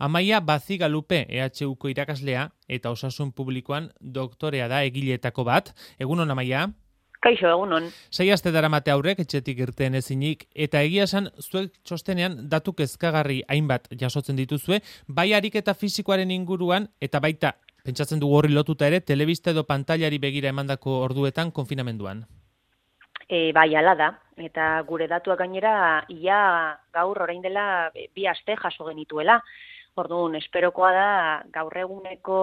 Amaia Bazigalupe, EHUko irakaslea eta osasun publikoan doktorea da egileetako bat. Egunon, Amaia? Kaixo, egunon. 6 aste daramate aurrek etxetik irten ezinik, eta egia esan zuek txostenean datu kezkagarri hainbat jasotzen dituzue, bai ariketa fisikoaren inguruan, eta baita, pentsatzen dugu horri lotuta ere, telebista edo pantailari begira emandako orduetan konfinamenduan. Bai, ala da. Eta gure datuak gainera, ia gaur orain dela 2 aste jaso genituela. Orduan, esperokoa da gaur eguneko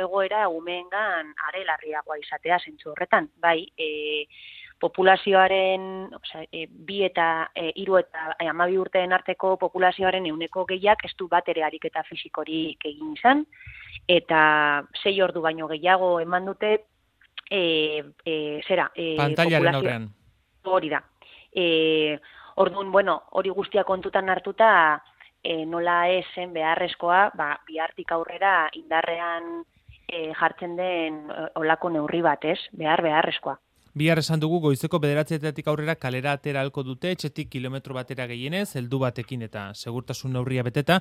egoera umeengan are larriagoa izatea zentzu horretan. Bai, populazioaren, 2 eta 3 eta 12 urteen arteko populazioaren 100% ez du bat ere ariketa fisikorik egin izan, eta 6 ordu baino gehiago eman dute pantailaren aurrean. Hori da. Orduan, hori guztia kontutan hartuta, nola esen beharrezkoa, bihartik aurrera indarrean jartzen den olako neurri bat, ez? Beharrezkoa. Bihar esan dugu goizeko 9:00 aurrera kalera atera ahalko dute, etxetik kilometro batera gehienez, heldu batekin eta segurtasun neurria beteta.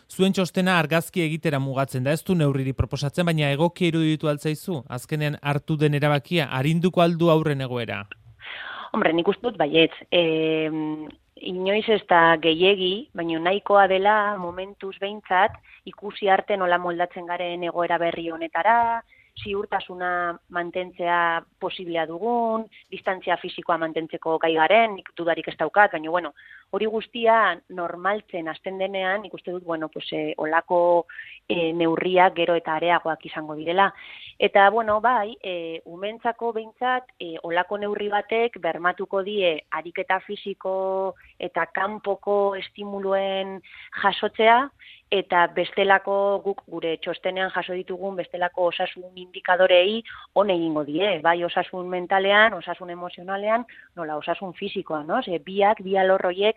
Zuen txostena argazki egitera mugatzen da, ez du neurriri proposatzen, baina egokia iruditu altzaizu, azkenean hartu den erabakia, arinduko aldu aurren egoera? Hombre, nik uste dut baietz. Inoiz ez da gehiegi, baina nahikoa dela momentuz behintzat ikusi arte nola moldatzen garen egoera berri honetara, ziurtasuna mantentzea posiblea dugun, distantzia fisikoa mantentzeko gai garen, nik dudarik ez daukat, baina hori guztia normaltzen hasten denean, nik uste dut, olako neurriak gero eta areagoak izango direla. Eta, bai, umentzako behintzat, olako neurri batek bermatuko die ariketa fisiko eta kanpoko estimuluen jasotzea, eta bestelako guk gure txostenean jaso ditugun bestelako osasun indikadorei on egingo die, bai osasun mentalean, osasun emozionalean, nola osasun fisikoan, no? Bi alor horiek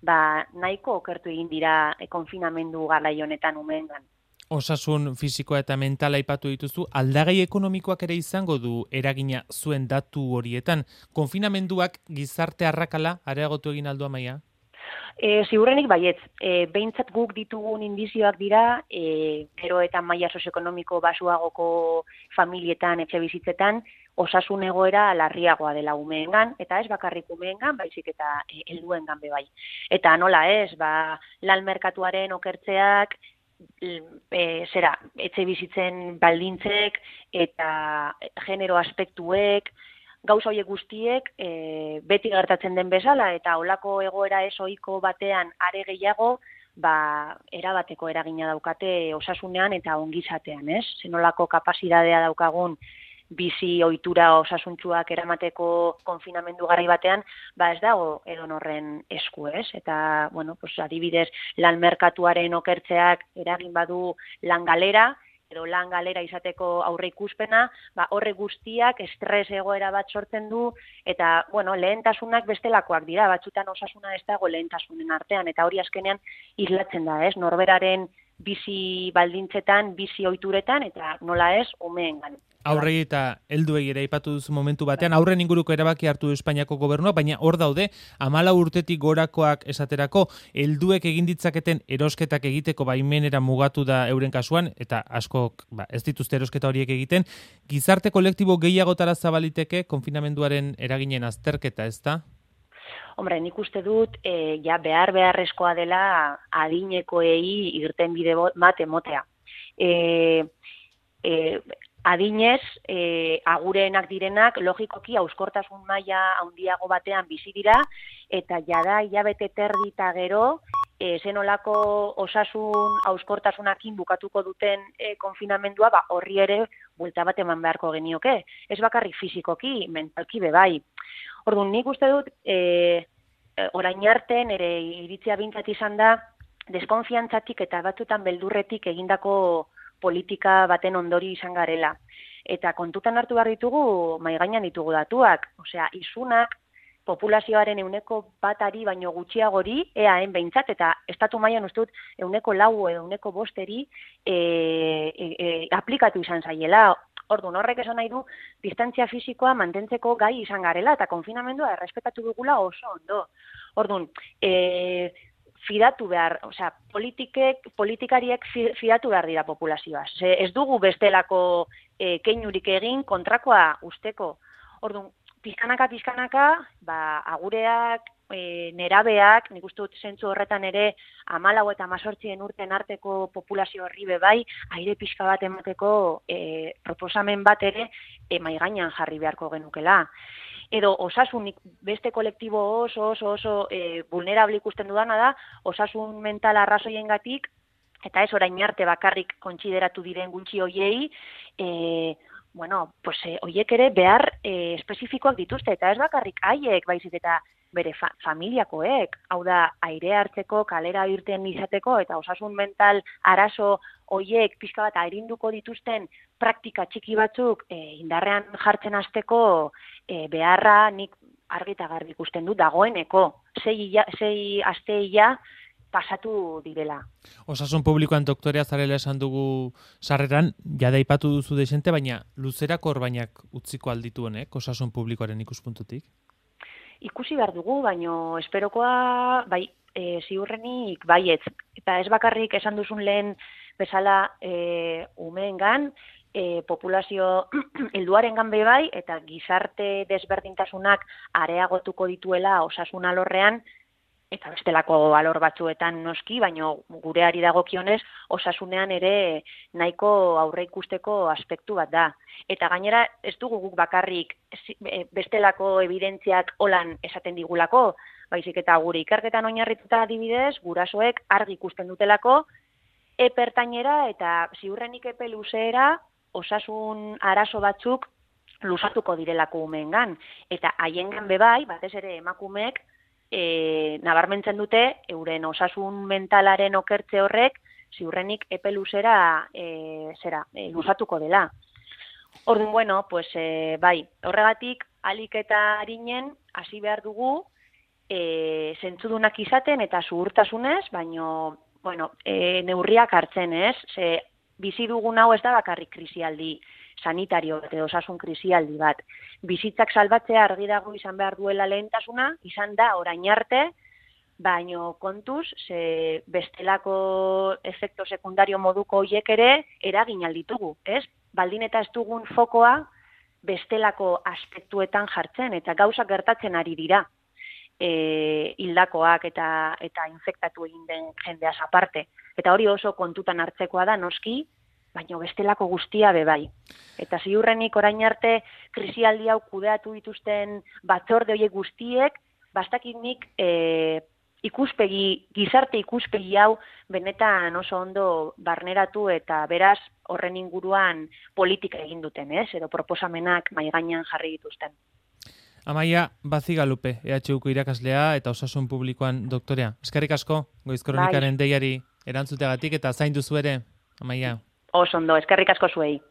nahiko okertu egin dira konfinamendu garai honetan umeengan. Osasun fisikoa eta mentala aipatu dituzu, aldagai ekonomikoak ere izango du eragina zuen datu horietan. Konfinamenduak gizarte arrakala areagotu egin aldu, Amaia? Ziurrenik baietz, behintzat guk ditugun indizioak dira, gero eta maila sozioekonomiko basuagoko familietan, etxe bizitzetan, osasun egoera larriagoa dela umeengan, eta ez bakarrik umeengan, baizik eta helduengan be bai. Eta nola ez, lan merkatuaren okertzeak, etxe bizitzen baldintzek eta genero aspektuek, gauza horiek guztiek beti gertatzen den bezala eta olako egoera ez ohiko batean are gehiago erabateko eragina daukate osasunean eta ongizatean, ez? Zenolako kapazitatea daukagun bizi ohitura osasuntsuak eramateko konfinamendu garai batean, ez dago edonorren esku, ez? Eta, adibidez, lan merkatuaren okertzeak eragin badu lan galera, edo lan galera izateko aurre ikuspena, horre guztiak estres egoera bat sortzen du, eta, lehentasunak bestelakoak dira, batzutan osasuna ez dago lehentasunen artean, eta hori azkenean islatzen da, ez? Norberaren bizi baldintzetan, bizi ohituretan, eta nola ez, umeengan. Aurrei eta helduei ere aipatu duzu momentu batean, aurren inguruko erabaki hartu du Espainiako gobernua, baina hor daude 14 urtetik gorakoak esaterako, helduek egin ditzaketen erosketak egiteko baimenera mugatu da euren kasuan, eta askok ez dituzte erosketa horiek egiten, gizarte kolektibo gehiagotara zabaliteke konfinamenduaren eraginen azterketa, ez da? Hombre, nik uste dut, beharrezkoa dela adinekoei irtenbide bat emotea. Adinez, agureenak direnak, logikoki hauskortasun maila handiago batean bizi dira, eta jada hilabete terdi eta gero, zenolako osasun hauskortasunakin bukatuko duten konfinamendua, horri ere buelta bat eman beharko genioke. Ez bakarrik fisikoki, mentalki bai. Orduan, nik uste dut, orain arte nire iritzia bintzat izan da, deskonfiantzatik eta batzutan beldurretik egindako politika baten ondori izan garela. Eta kontutan hartu behar ditugu, mahai gainean ditugu datuak. Osea, isunak populazioaren 1% baino gutxiagori, EAen behintzat, eta estatu mailan uste dut 4% edo 5% aplikatu izan zaiela. Orduan, horrek esan nahi du, distantzia fisikoa mantentzeko gai izan garela, eta konfinamendua errespetatu dugula oso ondo. Orduan, fidatu behar, politikariek fidatu behar dira populazioa. Ez dugu bestelako keinurik egin kontrakoa usteko. Orduan, pizkanaka, agureak, nerabeak, nik uste dut zentzu horretan ere 14 eta 18 urten arteko populazio horri bai, aire pixka bat emateko proposamen bat ere mahai gainean jarri beharko genukela. Edo osasunik beste kolektibo oso vulnerable ikusten dudana da, osasun mental arrazoiengatik, eta ez orain arte bakarrik kontsideratu diren gutxi hoiei, hoiek ere behar espezifikoak dituzte, eta ez bakarrik haiek baizik eta bere familiakoek, hau da, aire hartzeko, kalera irten izateko, eta osasun mental arazo hoiek pixka bat airinduko dituzten praktika txiki batzuk indarrean jartzen hasteko beharra nik argi eta garbi ikusten dut dagoeneko. 6 asteia pasatu direla. Osasun publikoan doktorea zarela esan dugu sarreran, jada aipatu duzu desente, baina luzerako orbainak utziko alditu honek, osasun publikoaren ikuspuntutik? Ikusi behar dugu, baino esperokoa ziurrenik baietz. Eta ez bakarrik esan duzun lehen bezala umeengan, populazio helduarengan bai, eta gizarte desberdintasunak areagotuko dituela osasun alorrean, eta bestelako alor batzuetan noski, baino gureari dagokionez osasunean ere nahiko aurre ikusteko aspektu bat da. Eta gainera ez dugu guk bakarrik bestelako evidentziak holan esaten digulako, baizik eta gure ikerketan oinarrituta adibidez, gurasoek argi ikusten dutelako, epertainera eta ziurrenik epe luzeera osasun arazo batzuk luzatuko direlako umeengan. Eta haiengan bai, batez ere emakumeek, nabarmentzen dute, euren osasun mentalaren okertze horrek, ziurrenik epe luzera luzatuko dela. Orduan, horregatik, alik eta harinen, hasi behar dugu, zentzudunak izaten eta zuhurtasunez, baino, neurriak hartzen, ez? Bizi dugun hau ez da bakarrik krisialdi sanitario bat edo osasun krisialdi bat. Bizitzak salbatzea argi dago izan behar duela lehentasuna, izan da orain arte, baino kontuz, bestelako efekto sekundario moduko hoiek ere eragin alditugu, ez? Baldin eta ez dugun fokoa bestelako aspektuetan jartzen, eta gauzak gertatzen ari dira. Hildakoak eta infektatu egin den jendeaz aparte. Eta hori oso kontutan hartzekoa da noski, baina bestelako guztia bai. Eta ziurrenik orain arte krisialdi hau kudeatu dituzten batzorde horiek guztiek, bastakit nik gizarte ikuspegi hau benetan oso ondo barneratu eta beraz horren inguruan politika egin duten, edo proposamenak mahai gainean jarri dituzten. Amaia Bazigalupe, EHUko irakaslea eta osasun publikoan doktorea. Eskerrik asko, Goiz Kronikaren deiari erantzuteagatik eta zaindu zu ere, Amaia. Oso ondo, eskerrik asko zuei.